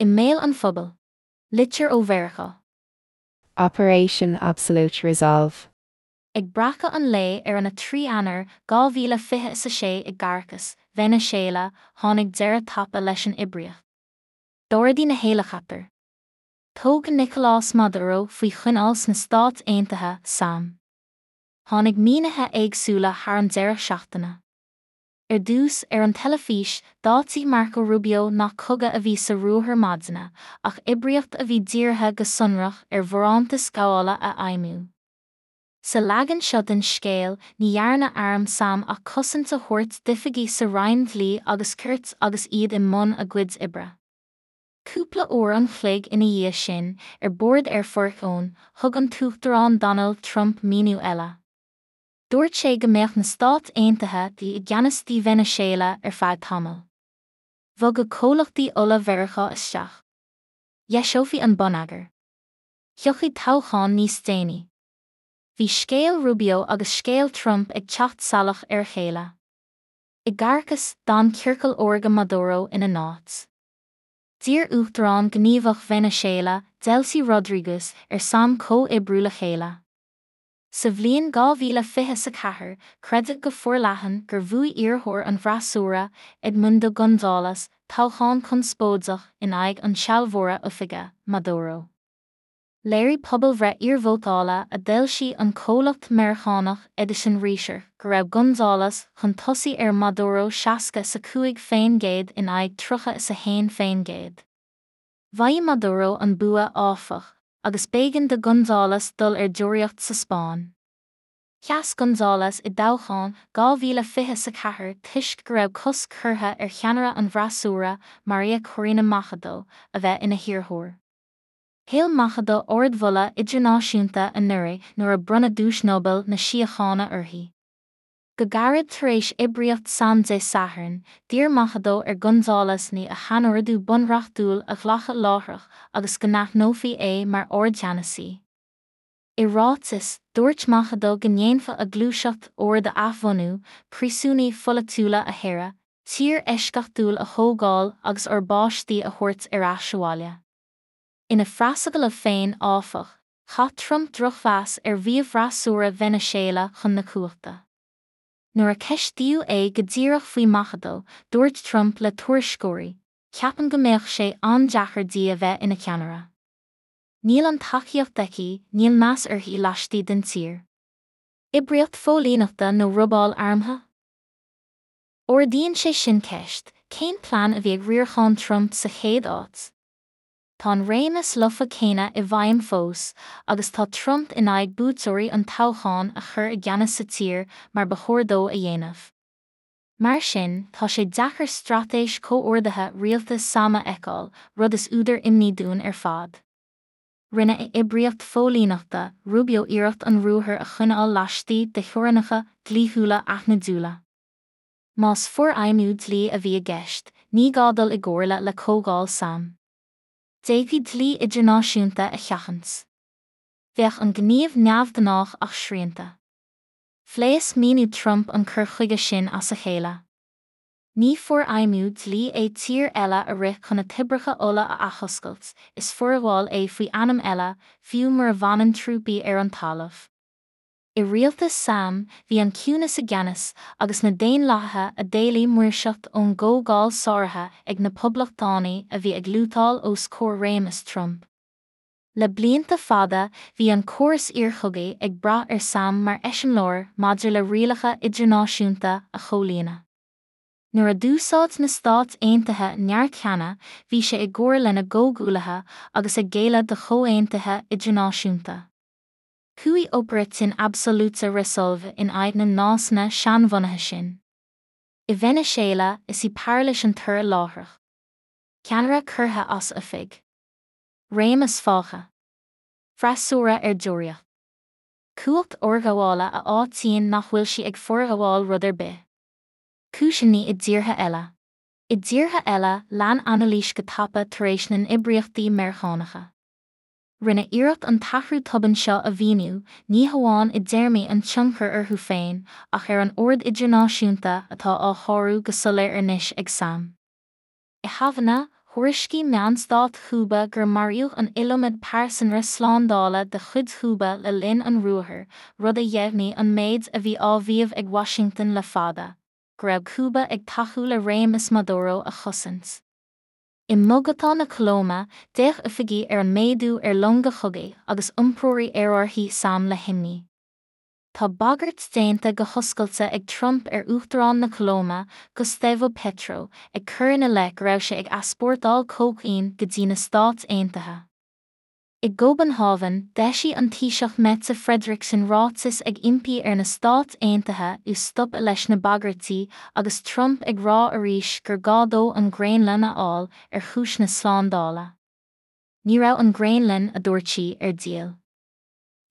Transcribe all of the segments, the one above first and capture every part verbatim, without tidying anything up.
I mbéal an phobail. Litir ó Mheiriceá. Operation Absolute Resolve. Ag breacadh an lae ar an a trí Eanáir dhá mhíle fiche is a sé i gCaracas, Veiniséala, tháinig deireadh tapa leis an oibríocht. D'ardaigh na héileacaptair. Tógadh Nicolás Maduro faoi choinneáil sna Stáit Aontaithe, S A M. Tháinig mínithe éagsúla thar an deireadh seachtaine. Ar dtús, ar an teilifís, d'áitigh Marco Rubio nach cogadh a bhí sa ruathar maidine, ach oibríocht a bhí dírithe go sonrach ar bharántas gabhála a fheidhmiú. Sa leagan seo den scéal, ní dhearna arm S A M ach cosaint a thabhairt d'oifigigh sa Roinn Dlí agus Cirt agus iad i mbun a gcuid oibre. Cúpla uair an chloig ina dhiaidh sin, ar bord Air Force One, thug an tUachtarán Donald Trump míniú eile. Dúirt sé go mbeadh na Stáit Aontaithe i gceannas di Veiniséala ar feadh tamaill. Bhogadh comhlachtaí ola Mheiriceá isteach. Dheiseofaí an bonneagar. Thiocfadh toghchán níos déanaí. Bhí scéal Rubio agus scéal Trump ag teacht salach ar a chéile. I gCaracas, d'fhan ciorcal órga Maduro ina n-áit. D'iarr Uachtarán Gníomhach Veiniséala, Delcy Rodríguez, ar S A M comhoibriú le chéile. Sa bhliain dhá mhíle fiche a ceathair, creideadh go forleathan gur bhuaigh iarrthóir an bhfreasúra, Edmundo González, toghchán conspóideach in aghaidh an tsealbhóra oifige, Maduro. Léirigh pobalbhreith iarvótála a d'fhoilsigh an comhlacht Meiriceánach Edison Research go raibh González chun tosaigh ar Maduro seasca is a cúig faoin gcéad in aghaidh tríocha is a haon faoin gcéad. Mhaígh Maduro an bua, áfach, agus b'éigean do González dul ar deoraíocht sa Spáinn. Sheas González i dtoghchán dhá mhíle fiche a ceathair toisc go raibh cosc curtha ar cheannaire an bhfreasúra, Maria Corina Machado, a bheith ina hiarrthóir. Thuill Machado ardmholadh idirnáisiúnta anuraidh nuair a bronnadh Duais Nobel na Síochána uirthi. Go gairid tar éis oibríocht S A M Dé Sathairn, d'iarr Machado ar González ní a shainordú bunreachtúil a ghlacadh láithreach agus go n-aithneofaí é mar ardcheannasaí. I ráiteas, dúirt Machado go ndéanfadh a gluaiseacht ord a athbhunú, príosúnaigh pholaitiúla a shaoradh, tír eisceachtúil a thógáil agus ár bpáistí a thabhairt ar ais abhaile. Ina phreasagallamh féin, áfach, chaith Trump drochmheas ar mhaíomh fhreasúra Veiniséala chun na cumhachta. Nuair a ceistíodh é go díreach faoi Machado, dúirt Trump le tuairisceoirí, Ceapaim go mbeadh sé an-deacair di a bheith ina ceannaire. Níl an tacaíocht aici, níl meas uirthi laistigh den tír. Oibríocht phóilíneachta nó robáil armtha? Ardaíonn sé sin ceist, cén plean a bhí ag riarachán Trump sa chéad áit? Tá an réimeas lofa céanna i bhfeidhm fós, agus tá Trump in aghaidh buaiteoirí an toghcháin a chur i gceannas sa tír mar ba chóir dó a dhéanamh. Mar sin, tá sé deacair straitéis comhordaithe rialtas S A M a fheiceáil, rud is údar imní dúinn ar fad. Rinne a oibríocht phóilíneachta, Rubio iarracht an ruathar a choinneáil laistigh de theorainneacha dlíthiúla aithnidiúla. Más forfheidhmiú dlí a bhí i gceist, ní gá dul i gcomhairle le Comhdháil S A M. D'fhéadfaí dlí idirnáisiúnta a sheachaint. Bheadh an gníomh neamhghnách ach srianta. Phléasc míniú Trump an cur chuige sin as a chéile. Ní forfheidhmiú dlí é tír eile a rith chun na toibreacha ola a athoscailt, is forghabháil é faoi ainm eile, fiú mura bhfanann trúpaí ar an talamh. I rialtas S A M, bhí an ciúnas i gceannas agus na daonlathaithe a d'éiligh maoirseacht ón gComhdháil sáraithe ag na poblachtánaigh a bhí ag lútáil os comhair réimeas Trump. Le blianta fada, bhí an córas iarchogaidh ag brath ar S A M mar eiseamláir maidir le rialacha idirnáisiúnta a chomhlíonadh. Nuair a d'úsáid na Stáit Aontaithe neart cheana, bhí sé i gcomhar lena gcomhghuaillithe agus ag géilleadh do chomhaontuithe idirnáisiúnta. Chuaigh Operation Absolute Resolve in aghaidh na nósanna seanbhunaithe sin. I Veiniséala, is í pairilis an toradh láithreach. Ceannaire curtha as oifig. Réimeas fágtha. Freasúra ar deoraíocht. Cumhacht fhorghabhála a áitíonn nach bhfuil sí ag forghabháil rud ar bith. Cúiseanna i dtíortha eile. I dtíortha eile, lean anailís go tapa tar éis na n-oibríochtaí Meiriceánacha. Rinne iarracht an t-athrú tobann seo a mhíniú, ní hamháin i dtéarmaí an tionchair orthu féin, ach ar an ord idirnáisiúnta atá á shárú go soiléir anois ag S A M. I Havanna, Thuairiscigh meáin stáit Chúba gur maraíodh an iliomad pearsanra slándála de chuid Chúba le linn an ruathair, rud a dheimhnigh an méid a bhí á mhaíomh ag Washington le fada, go raibh Cúba ag tacú le réimeas Maduro a chosaint. I mBogotá na Colóime, d'fhéach oifigigh ar an méadú ar longa chogaidh agus iompróirí aerárthaí SAM le himní. Tá bagairt déanta go hoscailte ag Trump ar Uachtarán na Colóime, Gustavo Petro, ag cur ina leith go raibh sé ag easpórtáil cócaoin go dtí na Stáit Aontaithe. I gCóbanhávan, d'eisigh an Taoiseach Mette Frederiksen ráiteas ag impí ar na Stáit Aontaithe stopadh leis na bagairtí agus Trump ag rá arís gur gá dó an Ghraonlainn a fháil ar chúis na slándála. Ní raibh an Ghraonlainn a dúirt sí ar díol.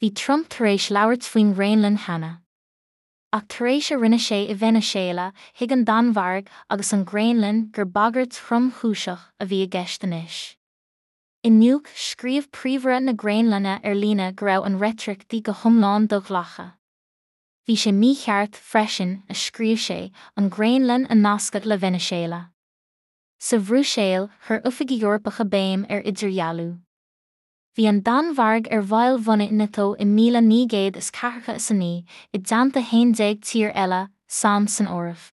Bhí Trump tar éis labhairt faoin nGraonlainn cheana. Ach tar éis a rinne sé i Veiniséala, thuig an Danmhairg agus an Ghraonlainn gur bagairt thromchúiseach a bhí i gceist anois. I Nuuk, scríobh príomhaire na Graonlainne ar líne go raibh an reitric go hiomlán do-ghlactha. Bhí sé mícheart freisin, a scríobh sé, an Ghraonlainn a nascadh le Veiniséala. Sa Bhruiséil, chuir oifigigh Eorpacha béim ar idirdhealú. Bhí an Danmhairg ar bhaill bhunaidh NATO i míle naoi gcéad is ceathracha is a naoi, i dteannta haon déag tír eile, SAM san áireamh.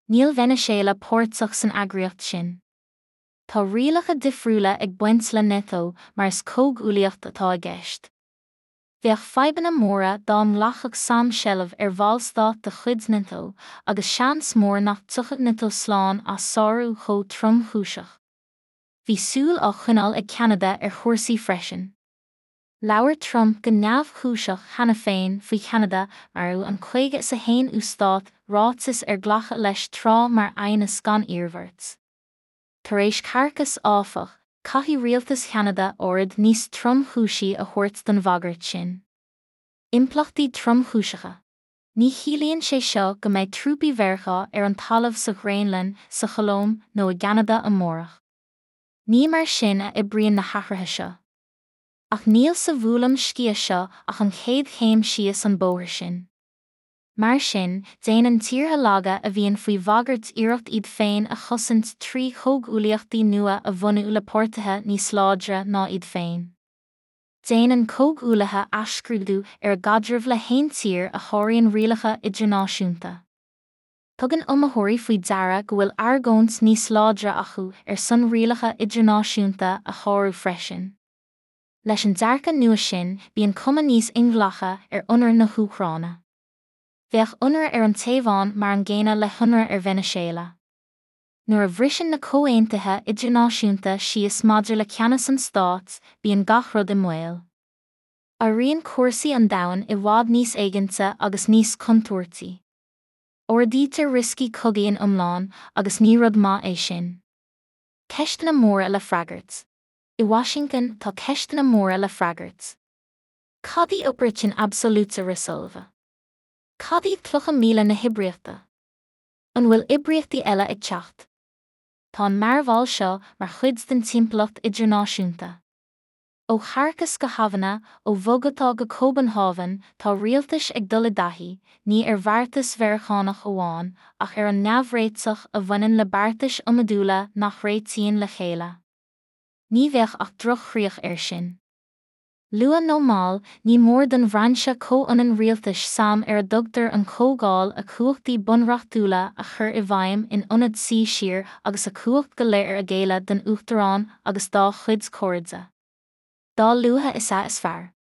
Níl Veiniséala páirteach san eagraíocht sin. Tá rialacha difriúla ag baint le NATO mar is comhghuaillíocht atá i gceist. Bheadh fadhbanna móra dá nglacfadh SAM seilbh ar bhallstát de chuid NATO, agus seans mór nach dtiocfadh NATO slán as sárú chomh tromchúiseach. Bhí súil á choinneáil ag Ceanada ar chúrsaí freisin. Labhair Trump go neamhchúiseach cheana féin faoi Cheanada mar an caoga is a haonú stát ráiteas ar glacadh leis tráth mar aighneas gan iarmhairt. Tar éis Caracas áfach, caithfidh rialtas Cheanada aird níos tromchúisí a thabhairt don bhagairt sin. Impleachtaí tromchúiseacha. Ní chiallaíonn sé seo go mbeidh trúpaí Mheiriceá ar an talamh sa Ghraonlainn, sa Cholóim nó i gCeanada amárach. Ní mar sin a oibríonn na hathruithe seo. Ach níl sa bhuaileam sciath seo ach an chéad chéim síos an bóthar sin. Mar sin, déanann tíortha laga a bhíonn faoi bhagairt iarracht iad féin a chosaint trí chomhghuaillíochtaí nua a bhunú le páirtithe níos láidre ná iad féin. Déanann comhghuaillithe athscrúdú ar a gcaidreamh le haon tír a sháraíonn rialacha idirnáisiúnta. Tugann iomaitheoirí faoi deara go bhfuil argóint níos láidre acu ar son rialacha idirnáisiúnta a shárú freisin. Leis an dearcadh nua sin, bíonn cuma níos inghlactha ar ionradh na hÚcráine. Bheadh ionradh ar an Téaváin mar an gcéanna le hionradh ar Veiniséala. Nuair a bhriseann na comhaontuithe idirnáisiúnta síos maidir le ceannas an stáit, bíonn gach rud i mbaol. Éiríonn cúrsaí an domhain i bhfad níos éiginnte agus níos contúirtí. Ardaítear rioscaí cogaidh in iomlán agus ní rud maith é sin. Ceisteanna móra le freagairt. I Washington tá ceisteanna móra le freagairt. Cad í Operation Absolute Resolve? Cad iad clocha míle na hoibríochta? An bhfuil oibríochtaí eile ag teacht? Tá an mearbhall seo mar chuid den timpeallacht idirnáisiúnta. Ó Characas go Havanna, ó Bhogotá go Cóbanhávan, tá rialtais ag dul i dtaithí, ní ar bheartas Mheiriceánach amháin, ach ar an neamhréiteach a bhaineann le beartais iomadúla nach réitíonn le chéile. Ní bheadh ach droch-chríoch air sin. Luath nó mall, ní mór don bhrainse comhionann rialtais SAM ar a dtugtar an Chomhdháil a cumhachtaí bunreachtúla a chur i bhfeidhm in ionad suí siar agus a cumhacht go léir a ghéilleadh don Uachtarán agus dá chuid cairde. Dá luaithe is ea is fearr.